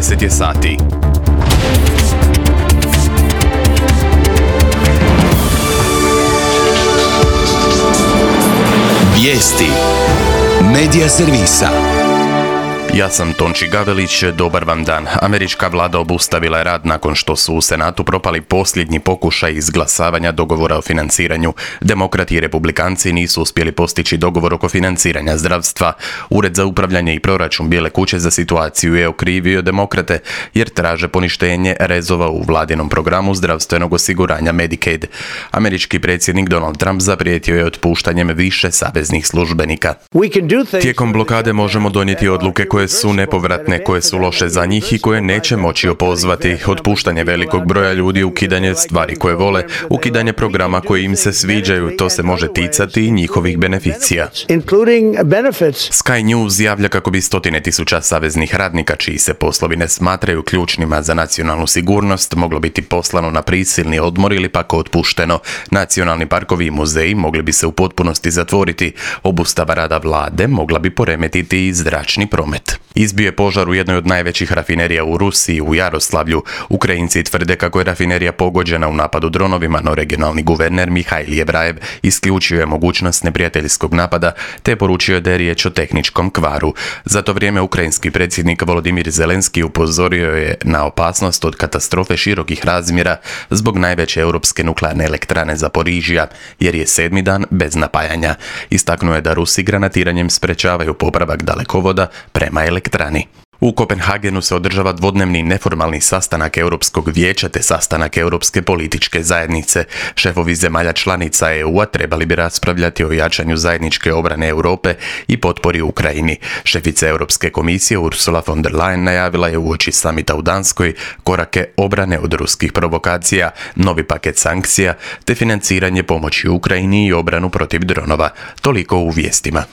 10 je sati. Vijesti Medija servisa. Ja sam Tonči Gavelić, dobar vam dan. Američka vlada obustavila je rad nakon što su u Senatu propali posljednji pokušaj izglasavanja dogovora o financiranju. Demokrati i republikanci nisu uspjeli postići dogovor oko financiranja zdravstva. Ured za upravljanje i proračun Bijele kuće za situaciju je okrivio demokrate jer traže poništenje rezova u vladinom programu zdravstvenog osiguranja Medicaid. Američki predsjednik Donald Trump zaprijetio je otpuštanjem više saveznih službenika. Tijekom blokade možemo donijeti odluke koje su nepovratne, koje su loše za njih i koje neće moći opozvati. Otpuštanje velikog broja ljudi, ukidanje stvari koje vole, ukidanje programa koji im se sviđaju, to se može ticati i njihovih beneficija. Sky News javlja kako bi stotine tisuća saveznih radnika, čiji se poslovi ne smatraju ključnima za nacionalnu sigurnost, moglo biti poslano na prisilni odmor ili pak otpušteno. Nacionalni parkovi i muzeji mogli bi se u potpunosti zatvoriti. Obustava rada vlade mogla bi poremetiti i zračni promet. Izbio je požar u jednoj od najvećih rafinerija u Rusiji, u Jaroslavlju. Ukrajinci tvrde kako je rafinerija pogođena u napadu dronovima, no regionalni guverner Mihajl Jevrajev isključio je mogućnost neprijateljskog napada, te poručio da je riječ o tehničkom kvaru. Za to vrijeme ukrajinski predsjednik Volodimir Zelenski upozorio je na opasnost od katastrofe širokih razmjera zbog najveće europske nuklearne elektrane Zaporižija, jer je 7. dan bez napajanja. Istaknuo je da Rusi granatiranjem sprečavaju popravak dalekovoda prema elektrani. U Kopenhagenu se održava dvodnevni neformalni sastanak Europskog vijeća te sastanak Europske političke zajednice. Šefovi zemalja članica EU-a trebali bi raspravljati o jačanju zajedničke obrane Europe i potpori Ukrajini. Šefica Europske komisije Ursula von der Leyen najavila je uoči samita u Danskoj korake obrane od ruskih provokacija, novi paket sankcija te financiranje pomoći Ukrajini i obranu protiv dronova. Toliko u vijestima.